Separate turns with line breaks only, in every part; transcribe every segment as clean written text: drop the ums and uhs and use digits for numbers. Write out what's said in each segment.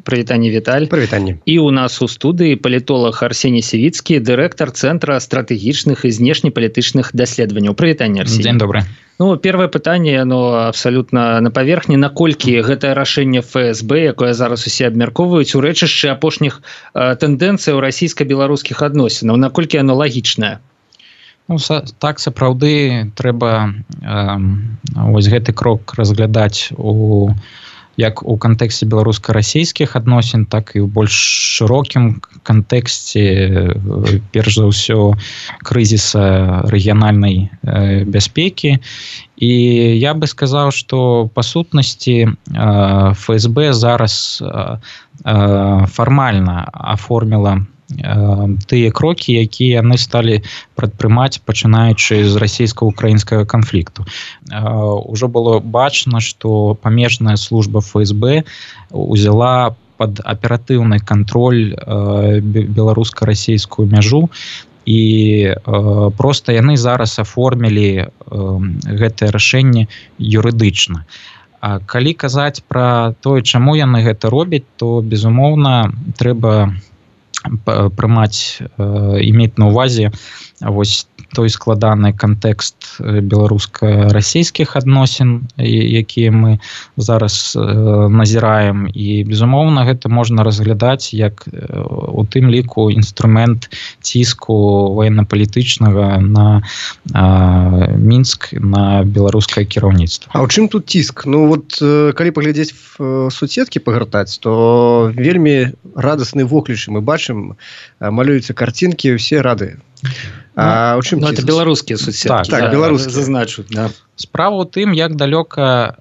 Прывітанне, Віталь.
Прывітанне.
І у нас у студыі палітолог Арсеній Сівіцкі, дырэктар Цэнтра стратэгічных і знешнепалітычных даследаванняў. Прывітанне, Арсеній.
Дзень добры.
Ну, первое пытанне, оно абсолютно на паверхні. Наколькі гэтае рашэнне ФСБ, якое зараз усе абмяркоўваюць, у рэчышчы апошніх тэндэнцыяў расійска-беларускіх адносінаў, наколькі оно лагічнае?
Ну, так, сапраўды, трэба вось гэты крок разглядаць як у кантэксце беларуска-расійскіх адносін, так і ў больш шырокім кантэксце, перш за ўсё, крызіса рэгіянальнай бяспекі. І я бы сказаў, што па сутнасці ФСБ зараз фармальна аформіла тыя крокі, якія яны сталі прадпрымаць, пачынаючы з расійска-украінскага канфлікту. Ужо было бачна, што памежная служба ФСБ узяла пад аператыўны кантроль беларуска-расійскую мяжу, і проста яны зараз аформілі гэтае рашэнне юрыдычна. Калі казаць пра тое, чаму яны гэта робяць, то, безумоўна, трэба иметь на увазе вось той складаны кантэкст беларуска-расійскіх адносін, якія мы зараз назіраем, і, безумоўна, гэта можна разглядаць як у тым ліку інструмент ціску военно-палітычнага на Мінск, на беларускае кіраўніцтва.
А ў чым тут ціск? Ну вот, калі паглядзець в соцсеткі пагартаць, то вельмі радасны воклічы мы бачым, малююцца карцінкі, усе рады. А ў чым ціск?
Ну, это беларускія соцсеткі.
Так, беларускія.
Зазначу, да.
Справа ў тым, як далёка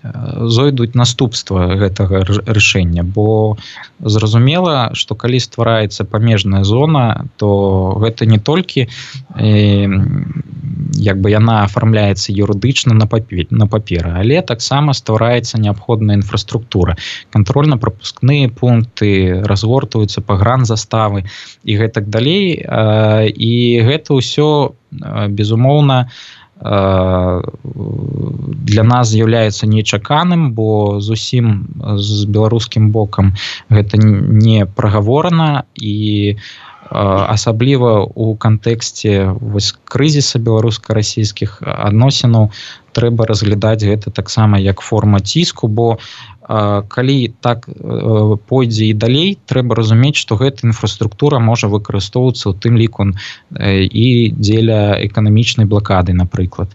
зойдуць наступства гэтага рашэння, бо зразумела, што калі ствараецца памежная зона, то гэта не толькі як бы яна афармляецца юрыдычна на паперы, але таксама ствараецца неабходная інфраструктура. Кантрольна-прапускныя пункты, разгортваюцца пагранзаставы і гэтак далей. І гэта ўсё, безумоўна, для нас з'яўляецца нечаканым, бо зусім з беларускім бокам гэта не прагаворана, і асабліва ў кантэксце вось крызіса беларуска-расійскіх адносінаў трэба разглядаць гэта таксама як форма ціску, бо калі так пойдзе і далей, трэба разумець, што гэта інфраструктура можа выкарыстоўвацца ў тым ліку і дзеля эканамічнай блакады, напрыклад.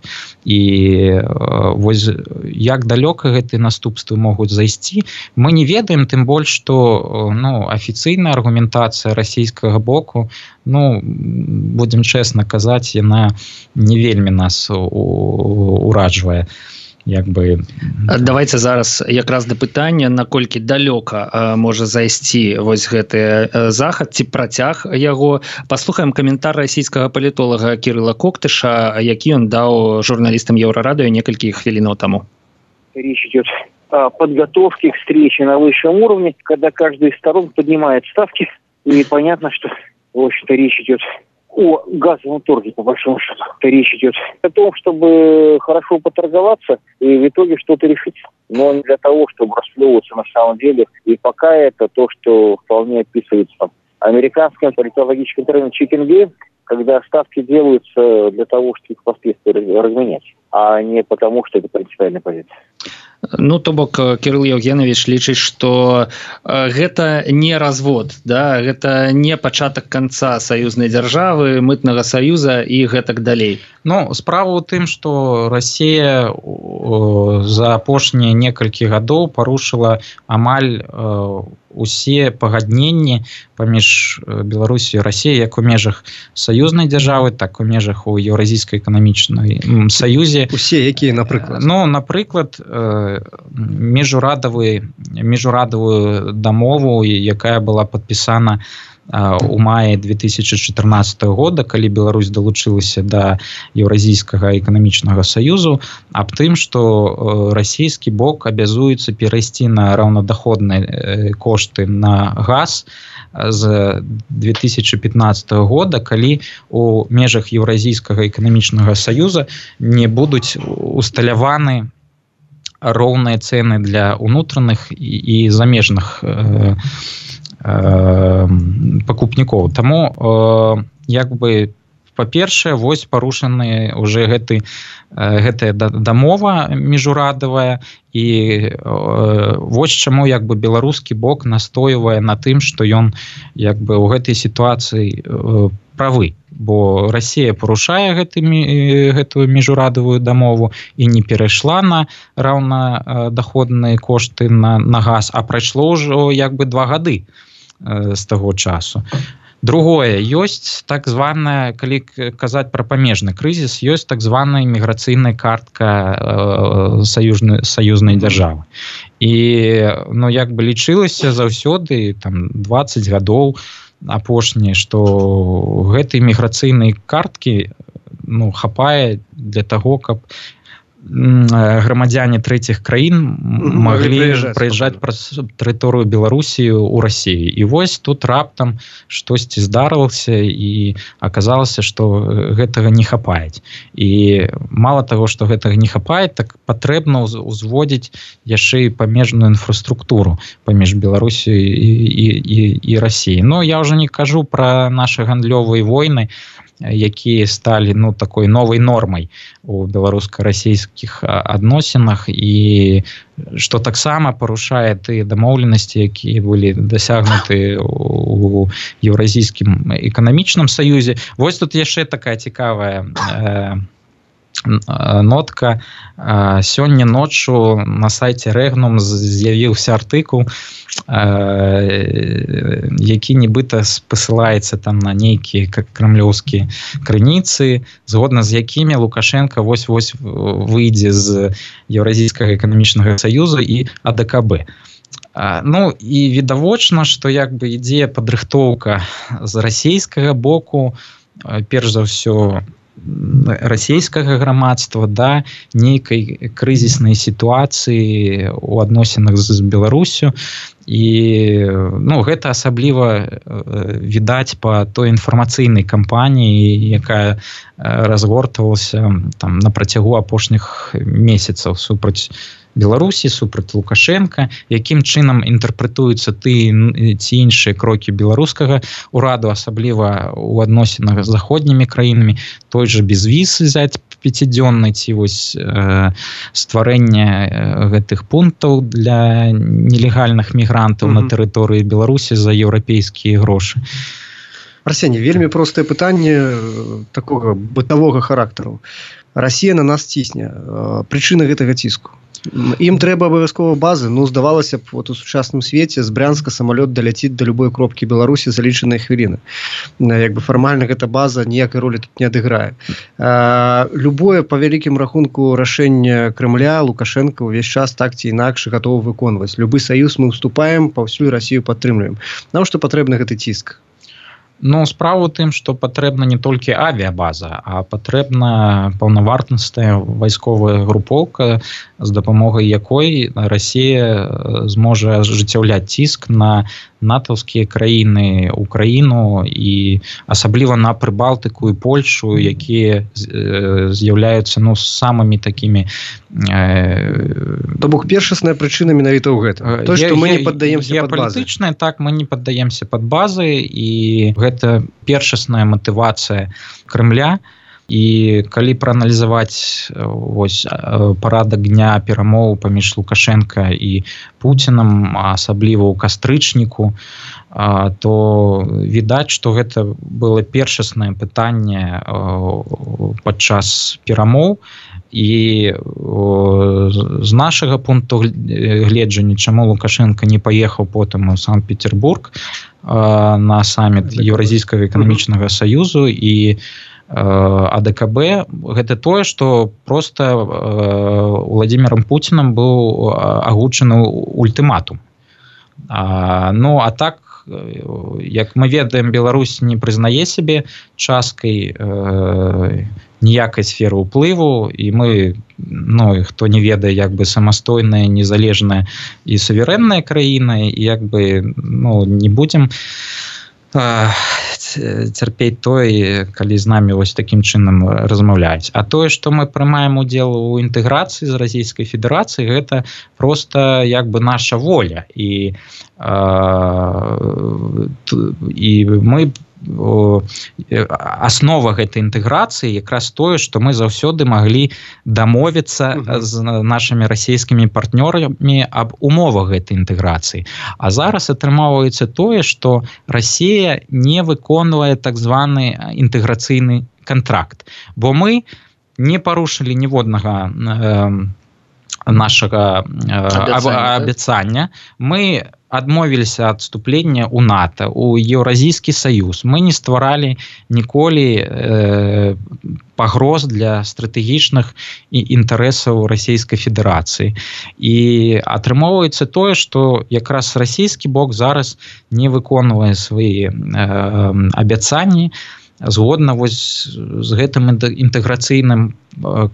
І вось як далёка гэтыя наступствы могуць зайсці, мы не ведаем, тым больш, што афіцыйная аргументацыя расійскага боку, будзем чэсна казаць, яна не вельмі нас ураджвае.
Давайте зараз якраз да пытання, наколькі далёка можа зайсці вось гэты захад ці працяг яго. Паслухаем каментар расійскага палітолага Кірыла Коктыша, які ён даў журналістам Еўрарадыё некалькі хвілінаў таму.
Речь идет о подготовке к встрече на высшем уровне, когда каждая из сторон поднимает ставки, и понятно, что, в общем-то, речь идет о газовом торге, по большому счету. Речь идет о том, чтобы хорошо поторговаться и в итоге что-то решить. Но не для того, чтобы расплевываться на самом деле. И пока это то, что вполне описывается американским политологическим термином chicken game, когда ставки делаются для того, чтобы их впоследствии разменять, а не потому, что это принципиальная позиция.
Ну, то бок, Кірыл Яўгенавіч лічыць, што гэта не развод, да? Гэта не пачатак канца саюзнай дзяржавы, мытнага саюза і гэтак далей.
Ну, справа ў тым, што Расія за апошнія некалькі гадоў парушыла амаль усе пагадненні паміж Беларусю і Расіяй, як у межах саюзнай дзяржавы, так у межах у Еўразійскай эканамічнай саюзе.
Усе якія, напрыклад?
Ну, напрыклад, міжурадавую дамову, якая была падпісана у маі 2014 года, калі Беларусь далучылася да Еўразійскага эканамічнага саюзу, аб тым, што расійскі бок абязуецца перайсці на раўнадаходныя кошты на газ з 2015 года, калі у межах Еўразійскага эканамічнага саюза не будуць усталяваны роўныя цэны для ўнутраных і замежных пакупнікоў. Таму як бы па-першае, вось парушаны уже гэтая дамова міжурадавая, і вось чаму як бы беларускі бок настойвае на тым, што ён як бы ў гэтай сітуацыі правы, бо Расія парушае гэтую міжурадавую дамову і не перайшла на раўнадаходныя кошты на газ, а прайшло ўжо як бы 2 гады з таго часу. Другое, ёсць так званая, калі казаць пра памежны крызіс, ёсць так званая міграцыйная картка саюзнай дзяржавы. І ну, як бы лічылася заўсёды, там, 20 гадоў апошнія, што гэтай міграцыйнай карткі ну, хапае для таго, каб грамадзяне трэціх краін маглі прыязджаць праз тэрыторыю Беларусі ў Расію. І вось тут раптам штосьці здарылася і аказалася, што гэтага не хапаюць. І мала таго, што гэтага не хапае, так патрэбна ўзводзіць яшчэ і памежную інфраструктуру паміж Беларусю і Расіяй. Ну, я ўжо не кажу пра нашы гандлёвыя войны, якія сталі ну, такой новай нормай у беларуска-расійскіх адносінах і што таксама парушае тыя дамоўленасці, якія былі дасягнуты у Еўразійскім эканамічным саюзе. Вось тут яшчэ такая цікавая нотка. Сёння ноччу на сайце Рэгнум з'явіўся артыкул, які нібыта спасылаецца там на нейкія крамлёўскія крыніцы, згодна з якімі Лукашенко вось-вось выйдзе з Еўразійскага эканамічнага саюза і АДКБ. Ну і відавочна, што як бы ідзе падрыхтоўка з расійскага боку, перш за ўсё расійскага грамадства да нейкай крызіснай сітуацыі ў адносінах з Беларусю. І ну, гэта асабліва відаць па той інфармацыйнай кампаніі, якая разгортвалася там на працягу апошніх месяцаў супраць Беларусі, супраць Лукашенка, якім чынам інтэрпрэтуюцца тыя ці іншыя крокі беларускага ўраду, асабліва ў адносінах з заходнімі краінамі, той жа безвіз взяць 5-дзённы ці вось стварэнне гэтых пунктаў для нелегальных мігрантаў на тэрыторыі Беларусі за еўрапейскія грошы.
Арсеній, вельмі простае пытанне такога бытавога характару. Расія на нас цісне. Прычына гэтага ціску. Ім трэба абавязкова базы. Ну, здавалася б, вот у сучасным свеце з Брянска самалёт даляціць да любой кропкі Беларусі за лічаныя хвіліны. Як бы фармальна гэта база ніякай ролі тут не адыграе. Любое, па вялікім рахунку, рашэнне Крэмля Лукашенко ўвесь час так ці інакш гатовы выконваць. Любы саюз мы ўступаем, паўсюль Расію падтрымліваем. Навошта патрэбны гэты ціск?
Ну, справа ў тым, што патрэбна не толькі авіябаза, а патрэбна паўнавартасная вайсковая групоўка, з дапамогай якой Расія зможа ажыццяўляць ціск на натаўскія краіны, Украіну і асабліва на Прыбалтыку і Польшу, якія з'яўляюцца ну, самымі такімі...
То бок першасная прычына менавіта ў гэтым. То, што мы не паддаемся пад базы.
Геапалітычная, так, мы не паддаемся пад базы, і гэта першасная матывацыя Крэмля. І калі прааналізаваць вось парадак дня перамоў паміж Лукашенко і Пуцінам, асабліва ў кастрычніку, то відаць, што гэта было першаснае пытанне падчас перамоў. І з нашага пункту гледжання, чаму Лукашенко не паехаў потым у Санкт-Петербург на саміт Еўразійскага эканамічнага саюзу і АДКБ, гэта тое, што проста Владимиром Путінам быў агучаны ультыматум. Ну, а так, як мы ведаем, Беларусь не прызнае сябе часткай ніякай сферы ўплыву, і мы, ну, хто не ведае, як бы самастойная, незалежная і суверэнная краіна, і як бы, ну, не будзем цярпець той, калі з намі вось такім чынам размаўляюць. А тое, што мы прымаем удзел у інтэграцыі з Расійскай Федэрацыі, гэта проста як бы наша воля. І мы аснова гэтай інтэграцыі якраз тое, што мы заўсёды маглі дамовіцца з нашымі расійскімі партнёрамі аб умовах гэтай інтэграцыі. А зараз атрымоўваецца тое, што Расія не выконвае так званы інтэграцыйны кантракт, бо мы не парушылі ніводнага нашага абяцання. Мы адмовіліся ад вступлення ў НАТО, у Еўразійскі саюз. Мы не стваралі ніколі пагроз для стратэгічных інтарэсаў Расійскай Федэрацыі. І атрымоўваецца тое, што якраз расійскі бок зараз не выконвае свае абяцанні згодна вось з гэтым інтэграцыйным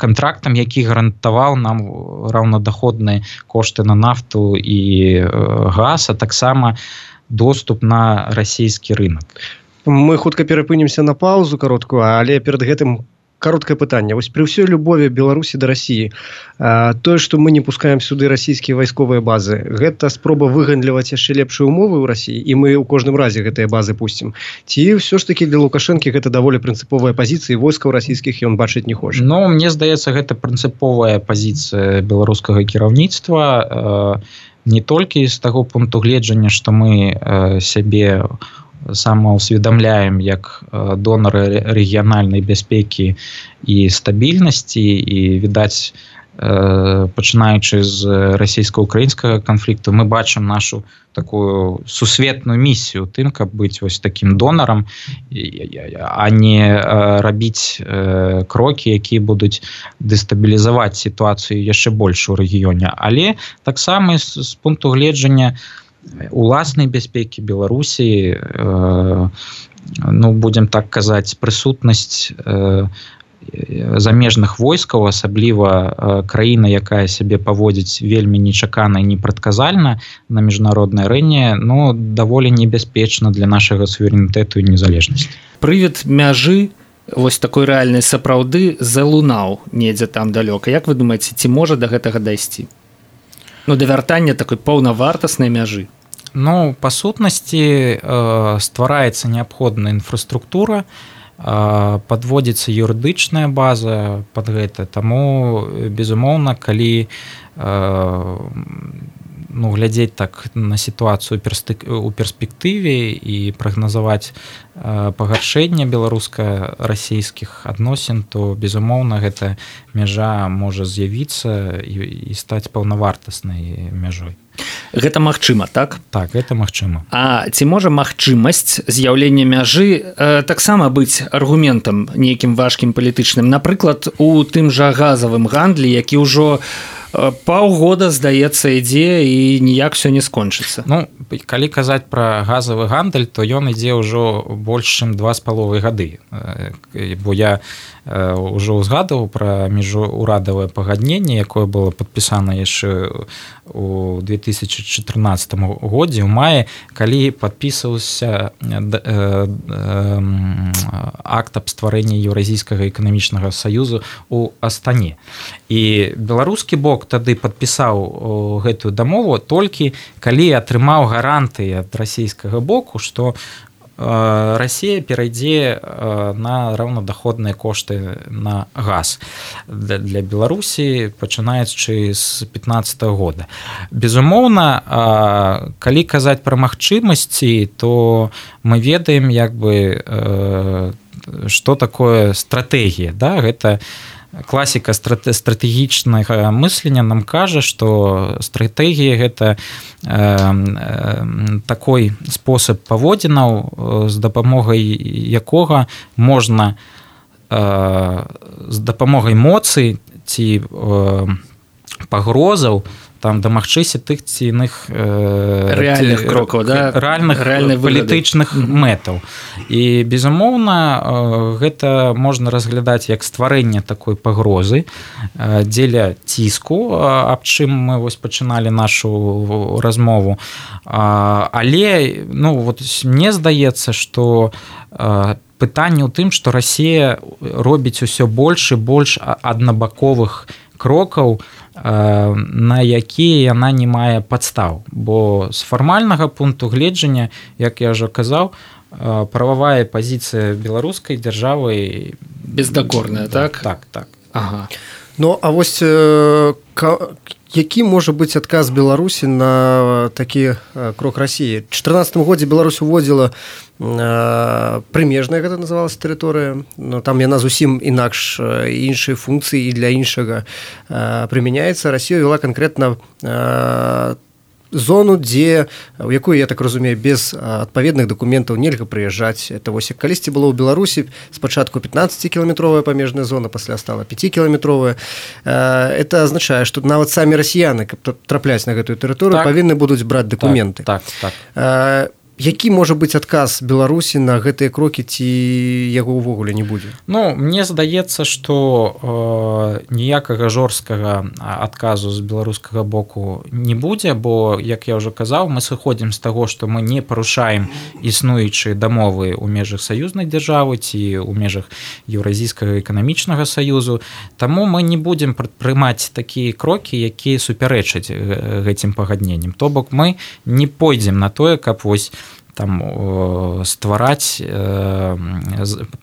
кантрактам, які гарантаваў нам раўнадаходныя кошты на нафту і газ, а таксама доступ на расійскі рынок.
Мы хутка перапынемся на паузу кароткую, але перад гэтым кароткае пытанне. Вось пры ўсёй любові Беларусі да Расіі, тое, што мы не пускаем сюды расійскія вайсковыя базы, гэта спроба выгандліваць яшчэ лепшыя умовы ў Расіі, і мы ў кожным разе гэтыя базы пусцім. Ці ўсё ж такі для Лукашэнкі гэта даволі прынцыповая пазіцыя, войскаў расійскіх ён бачыць не хоча?
Ну, мне здаецца, гэта прынцыповая пазіцыя беларускага кіраўніцтва, не толькі з таго пункту гледжання, што мы сябе самаўсведамляем як донары рэгіянальнай бяспекі і стабільнасці, і відаць, пачынаючы з расійска-украінскага канфлікту, мы бачым нашу такую сусветную місію тым, каб быць вось такім донарам, а не рабіць крокі, якія будуць дэстабілізаваць сітуацыю яшчэ больш у рэгіёне. Але таксама з пункту гледжання уласнай бяспекі Беларусі, ну, будзем так казаць, прысутнасць замежных войскаў, асабліва краіна, якая сябе паводзіць вельмі нечакана і непрадказальна на міжнароднай арэне, ну, даволі небяспечна для нашага суверэнітэту і незалежнасці.
Прывід мяжы вось такой рэальнай сапраўды залунаў недзе там далёка. Як вы думаеце, ці можа да гэтага дайсці? Ну, да вяртання такой паўнавартаснай мяжы.
Ну, па сутнасці ствараецца неабходная інфраструктура, падводзіцца юрыдычная база пад гэта. Таму, безумоўна, калі глядзець так на сітуацыю у перспектыве і прагназаваць пагаршэнне беларуска-расійскіх адносін, то, безумоўна, гэта мяжа можа з'явіцца і стаць паўнавартаснай мяжой.
Гэта магчыма, так?
Так, гэта магчыма.
А ці можа магчымасць з'яўлення мяжы таксама быць аргументам нейкім важкім палітычным? Напрыклад, у тым жа газавым гандлі, які ўжо паўгода, здаецца, ідзе і ніяк все не скончыцца.
Ну, калі казаць пра газавы гандаль, то ён ідзе ўжо больш чым 2,5 гады. Бо я ўжо ўзгадываў пра міжурадавае пагадненне, якое было падпісана яшчэ у 2014 годзе, у маі, калі падпісваўся акт аб стварэнні Еўразійскага эканамічнага саюзу ў Астане. І беларускі бок тады падпісаў гэтую дамову толькі калі атрымаў гарантыі ад расійскага боку, што Расія перайдзе на раўнадаходныя кошты на газ для Беларусі, пачынаючы з 2015 года. Безумоўна, калі казаць пра магчымасці, то мы ведаем, як бы, што такое стратэгія, да? Гэта класіка стратэгічнага мыслення нам кажа, што стратэгія гэта такой спосаб паводзінаў, з дапамогай якога можна з дапамогай моцы ці пагрозаў там дамагчыся тых ці іных
рэальных крокаў,
рэальных палітычных мэтаў. І безумоўна гэта можна разглядаць як стварэнне такой пагрозы дзеля ціску, аб чым мы вось пачыналі нашу размову. Але мне здаецца, што пытанне ў тым, што Расія робіць усё больш і больш аднабаковых крокаў, на якія яна не мае падстаў. Бо з фармальнага пункту гледжання, як я ўжо казаў, прававая пазіцыя беларускай дзяржавы
бездакорная, так?
Так.
Ага.
Ну, а вось які можа быць адказ Беларусі на такі крок Расіі? У 2014 годзе Беларусь уводзіла прымежная, гэта называлася тэрыторыя, но там яна зусім інакш, іншыя функцыі і для іншага прымяняецца. Расія вела канкрэтна зону, у якую, я так разумею, без адпаведных дакументаў нельга прыязджаць. Это вось калісьці было ў Беларусі спачатку 15-кіламетровая памежная зона, пасля стала 5-кіламетровая. Это азначае, што нават самі расіяны, каб трапляць на гэтую тэрыторыю, павінны будуць браць дакументы.
Так.
Які можа быць адказ Беларусі на гэтыя крокі, ці яго ўвогуле не будзе?
Мне здаецца, што ніякага жорсткага адказу з беларускага боку не будзе, бо, як я ўжо казаў, мы сыходзім з таго, што мы не парушаем існуючыя дамовы ў межах саюзнай дзяржавы ці ў межах Еўразійскага эканамічнага саюзу. Таму мы не будзем прымаць такія крокі, якія супярэчаць гэтым пагадненням. То бок мы не пойдзем на тое, каб вось там ствараць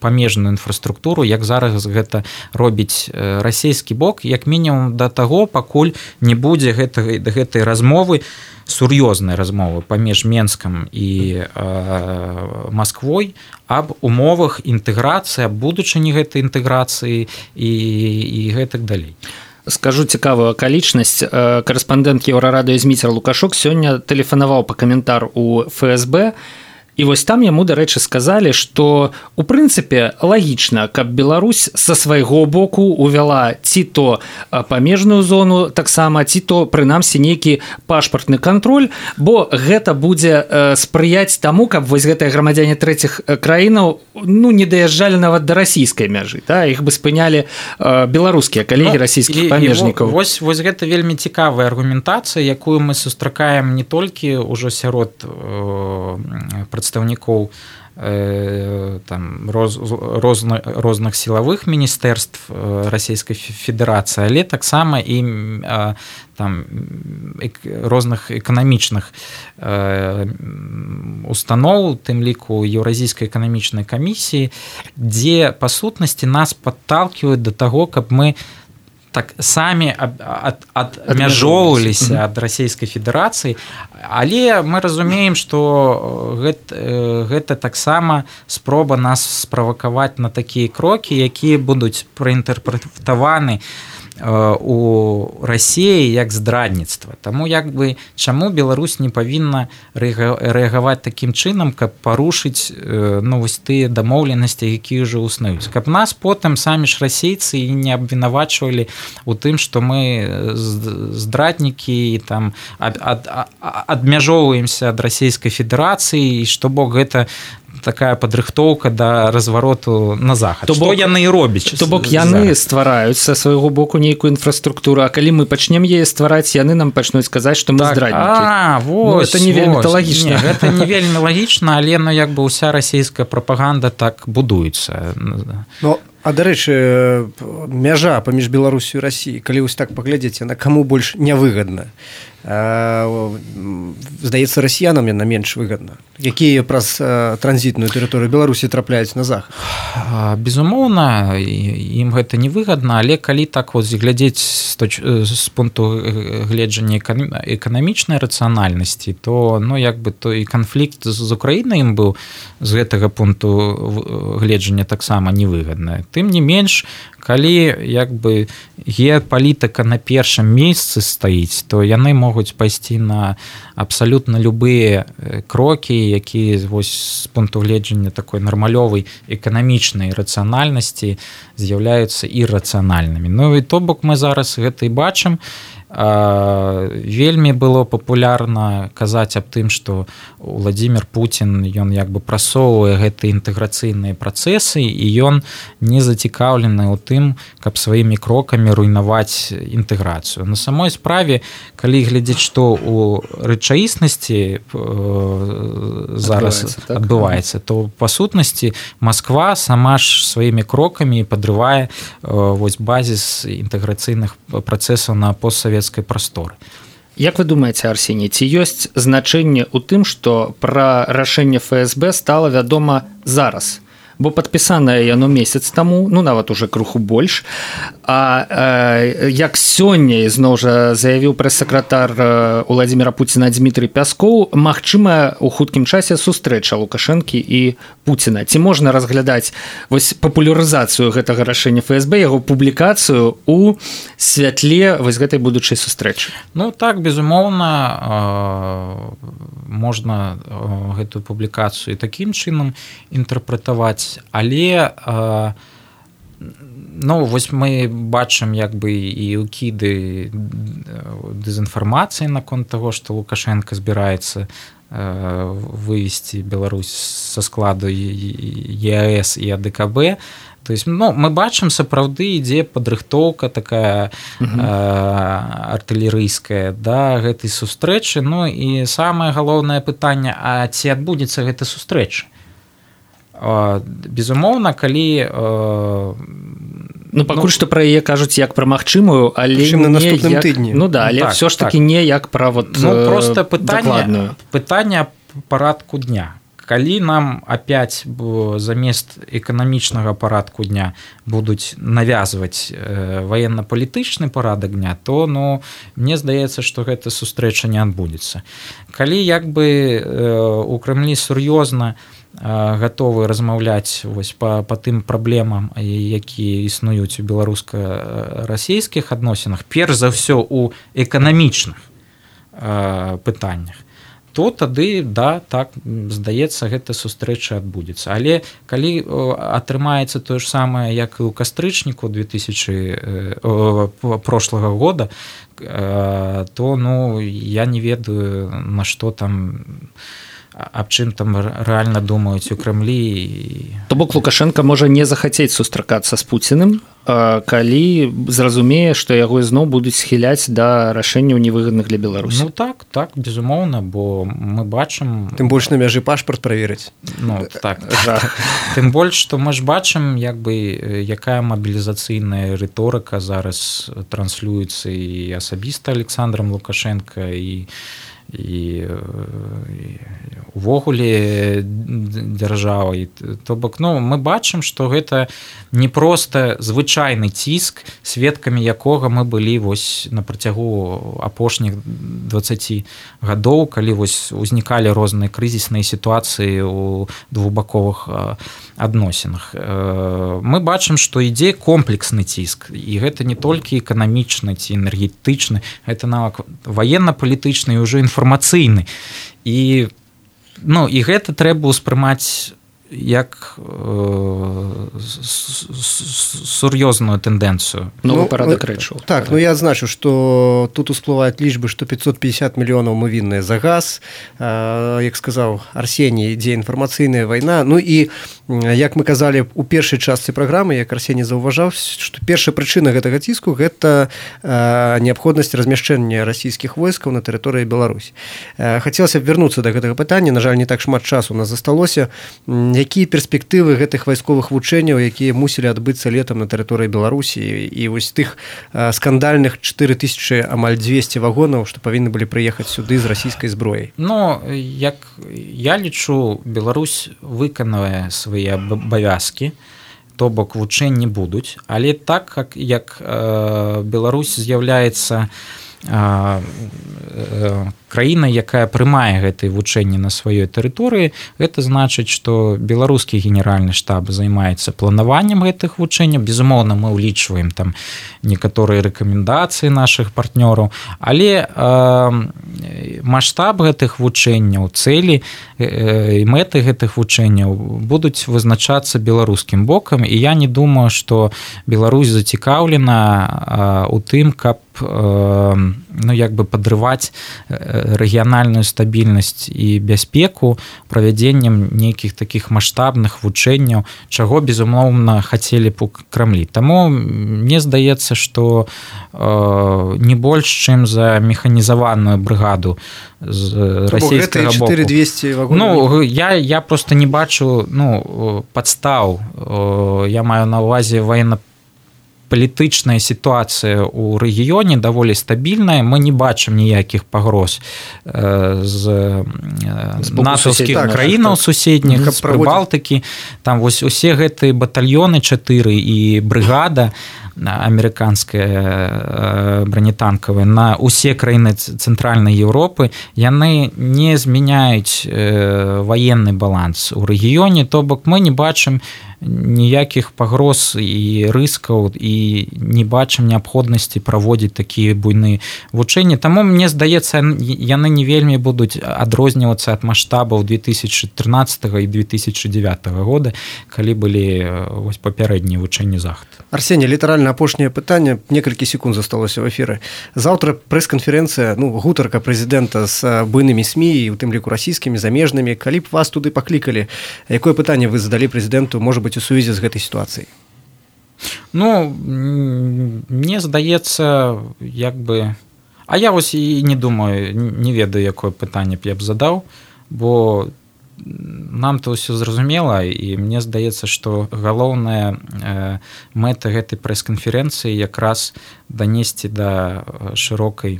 памежную інфраструктуру, як зараз гэта робіць расійскі бок, як мінімум да таго, пакуль не будзе гэтай размовы, сур'ёзнай размовы паміж Менскам і Масквой аб умовах інтэграцыі, аб будучыні гэтай інтэграцыі і гэтак далей.
Скажу цікавую акалічнасць. Карэспандэнт Еўрарадыё Зміцер Лукашук сёння тэлефанаваў па каментар у ФСБ, і вось там яму, дарэчы, сказалі, што у прынцыпе лагічна, каб Беларусь са свайго боку увяла ці то памежную зону таксама, ці то прынамсі нейкі пашпартны кантроль, бо гэта будзе спрыяць таму, каб вось гэтыя грамадзяне трэціх краінаў не даязджалі нават да расійскай мяжы, іх бы спынялі беларускія калегі расійскіх памежнікаў.
Вось гэта вельмі цікавая аргументацыя, якую мы сустракаем не толькі ўжо сярод прадстаўнікоў розных сілавых міністэрств Расійскай Федэрацыі, але таксама і розных эканамічных устаноў, тым ліку Еўразійскай эканамічнай камісіі, дзе па сутнасці нас падталківаюць да таго, каб мы так самі адмяжоўваліся ад Расійскай Федэрацыі, але мы разумеем, што гэта таксама спроба нас справакаваць на такія крокі, якія будуць праінтэрпрэтаваны у Расіі як здрадніцтва. Таму чаму Беларусь не павінна рэагаваць такім чынам, каб парушыць вось тыя дамоўленасці, якія ўжо існуюць. Каб нас потым самі ж расейцы не абвінавачвалі у тым, што мы здраднікі і там адмяжоўваемся ад Расійскай Федэрацыі, і што бок гэта такая падрыхтоўка да развароту на захад. Што яны і робяць?
То бок яны ствараюць са свайго боку нейкую інфраструктуру, а калі мы пачнем яе ствараць, яны нам пачнуць казаць, што мы здраднікі.
Гэта не вельмі лагічна. Гэта не вельмі лагічна, але ўся расійская прапаганда так будуецца.
А дарэчы, мяжа паміж Беларусю і Расіяй, калі вось так паглядзець, яна каму больш нявыгадна? Здаецца, расіянам яна менш выгадна. Якія праз транзітную тэрыторыю Беларусі трапляюць на захад?
Безумоўна, ім гэта не выгадна, але калі так глядзець з пункту гледжання эканамічнай рацыянальнасці, то і канфлікт з Украінай ім быў з гэтага пункту гледжання таксама невыгадна. Тым не менш, калі геапалітыка на першым месцы стаіць, то яны могуць пайсці на абсалютна любыя крокі, якія з пункту гледжання такой нармалёвай эканамічнай рацыянальнасці з'яўляюцца іррацыянальнымі. І то бок мы зараз гэта і бачым. вельмі было папулярна казаць аб тым, што Владимир Путин ён як бы прасоўвае гэтыя інтэграцыйныя працэсы і ён не зацікаўлены ў тым, каб сваімі крокамі руйнаваць інтэграцыю. На самой справе, калі глядзець, што ў рэчаіснасці зараз адбываецца, то па сутнасці Масква сама ж сваімі крокамі падрывае вось базіс інтэграцыйных працэсаў на постсавецкай прасторы.
Як вы думаеце, Арсеній, ці ёсць значэнне ў тым, што пра рашэнне ФСБ стала вядома зараз? Бо падпісанае яно месяц таму, ну нават уже крыху больш, а як сёння ізноў жа заявіў прэс-сакратар Владимира Путина Дмітрый Пяскоў, магчымая ў хуткім часе сустрэча Лукашэнкі і Путина. Ці можна разглядаць вось папулярызацыю гэтага рашэння ФСБ, яго публікацыю ў святле вось гэтай будучай сустрэчы?
Ну так, безумоўна, можна гэтую публікацыю такім чынам інтэрпрэтаваць. Але ну, вось мы бачым як бы і ўкіды дэзінфармацыі наконт таго, што Лукашенко збіраецца вывесці Беларусь са складу ЕАЭС і АДКБ. То есть, ну, мы бачым, сапраўды ідзе падрыхтоўка такая артылерыйская да гэтай сустрэчы. Ну і самае галоўнае пытанне, а ці адбудзецца гэта сустрэча? Безумоўна, калі
ну пакуль што пра яе кажуць як пра магчымую, але
на наступным тыдні.
Ну да, але ўсё ж такі не як пра вот
просто пытанне парадку дня. Калі нам опять замест эканамічнага парадку дня будуць навязваць ваенна-палітычны парадак дня, то ну мне здаецца, што гэта сустрэча не адбудзецца. Калі як бы у Крэмлі сур'ёзна гатовы размаўляць вось па тым праблемам, якія існуюць у беларуска-расійскіх адносінах, перш за ўсё у эканамічных пытаннях, то тады, да, так, здаецца, гэта сустрэча адбудзецца. Але калі атрымаецца тое ж самае, як і ў кастрычніку прошлага года, то ну я не ведаю, на што там, аб чым там рэальна думаюць у Крэмлі.
То бок Лукашенко можа не захацець сустракацца з Пуціным, калі зразумее, што яго ізноў будуць схіляць да рашэнняў невыгадных для Беларусі.
Ну так, безумоўна, бо мы бачым...
Тым больш на мяжы пашпарт праверыць.
Ну так. Тым больш, што мы ж бачым, як бы, якая мабілізацыйная рыторыка зараз транслюецца і асабіста Александром Лукашенко, і увогуле дзяржавай. То бок, ну, мы бачым, што гэта не проста звычайны ціск, сведкамі якога мы былі вось на працягу апошніх 20 гадоў, калі вось узнікалі розныя крызісныя сітуацыі ў двухбаковых адносінах. Мы бачым, што ідзе комплексны ціск, і гэта не толькі эканамічны ці энергетычны, гэта нават ваенна-палітычны і ўжо інфармацыйны. І гэта трэба ўспрымаць як сур'ёзную тэндэнцыю.
Новы парадак рэчаў.
Так, я адзначу, што тут усплываюць лічбы, што 550 мільёнаў мы вінныя за газ. Як сказаў Арсеній, ідзе інфармацыйная вайна. Ну і, як мы казалі у першай частцы праграмы, як Арсеній заўважаў, што першая прычына гэтага ціску – гэта неабходнасць размяшчэння расійскіх войскаў на тэрыторыі Беларусі. Хацелася б вярнуцца да гэтага пытання, на жаль, не так шмат часу у нас засталося. Якія перспектывы гэтых вайсковых вучэнняў, якія мусілі адбыцца летам на тэрыторыі Беларусі, і вось тых скандальных 4000 амаль 200 вагонаў, што павінны былі прыехаць сюды з расійскай зброяй?
Ну, як я лічу, Беларусь выканае свае абавязкі, то бок вучэнні будуць, але так як Беларусь з'яўляецца краіна, якая прымае гэтыя вучэнні на сваёй тэрыторыі, гэта значыць, што беларускі генеральны штаб займаецца планаваннем гэтых вучэнняў. Безумоўна, мы ўлічваем там некаторыя рэкамендацыі нашых партнёраў, але маштаб гэтых вучэнняў, цэлі і мэты гэтых вучэнняў будуць вызначацца беларускім бокам, і я не думаю, што Беларусь зацікаўлена у тым, каб ну як бы падрываць рэгіянальную стабільнасць і бяспеку правядзеннем нейкіх такіх маштабных вучэнняў, чаго безумоўна хацелі б у Крамлі. Таму мне здаецца, што не больш чым за механізаваную брыгаду з расійскага боку.
4200 вагонаў.
Ну, я просто не бачу падстаў. Я маю на ўвазе военно-палітычная сітуацыя ў рэгіёне даволі стабільная. Мы не бачым ніякіх пагроз з натаўскіх краінаў суседніх, з Прыбалтыкі. Там вось усе гэтыя батальёны 4 і брыгада амерыканская бронетанкавая на усе краіны цэнтральнай Еўропы, яны не змяняюць ваенны баланс у рэгіёне, то бок мы не бачым ніякіх пагроз і рыскаў і не бачым неабходнасці праводзіць такія буйныя вучэнні. Таму мне здаецца, яны не вельмі будуць адрознівацца ад маштабаў 2013 і 2009 года, калі былі вось папярэднія вучэнні захад.
Арсеній, літаральна апошняе пытанне, некалькі секунд засталося ў эфіры. Заўтра прэс-канферэнцыя, гутарка прэзідэнта з буйнымі СМІ, і у тым ліку расійскімі, замежнымі. Калі б вас туды паклікалі, якое пытанне вы задалі прэзідэнту, можа быць, у сувязі з гэтай сітуацыяй?
Ну, мне здаецца, як бы... А я вось і не думаю, не ведаю, якое пытанне б я б задаў, бо нам-то ўсё зразумела, і мне здаецца, што галоўная мэта гэтай прэс-канферэнцыі якраз данесці да шырокай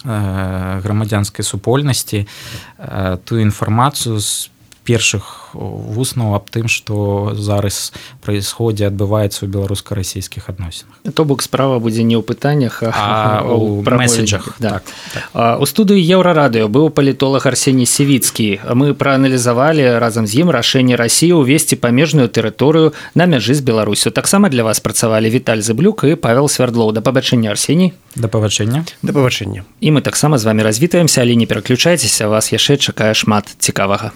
грамадзянскай супольнасці тую інфармацыю з першых вуснаў аб тым, што зараз праісходзе, адбываецца ў беларуска-расійскіх адносінах.
То бок справа будзе не ў пытаннях,
а ў меседжах.
Так. У студыі Еўрарадыё быў палітолог Арсеній Сівіцкі. Мы прааналізавалі разам з ім рашэнне Расіі ўвесці памежную тэрыторыю на мяжы з Беларусю. Таксама для вас працавалі Віталь Зыблюк і Павел Свярдлоў. Да пабачэння, Арсеній.
Да пабачэння.
Да пабачэння.
І мы таксама з вамі развітаемся, але не пераключайцеся, вас яшчэ чакае шмат цікавага.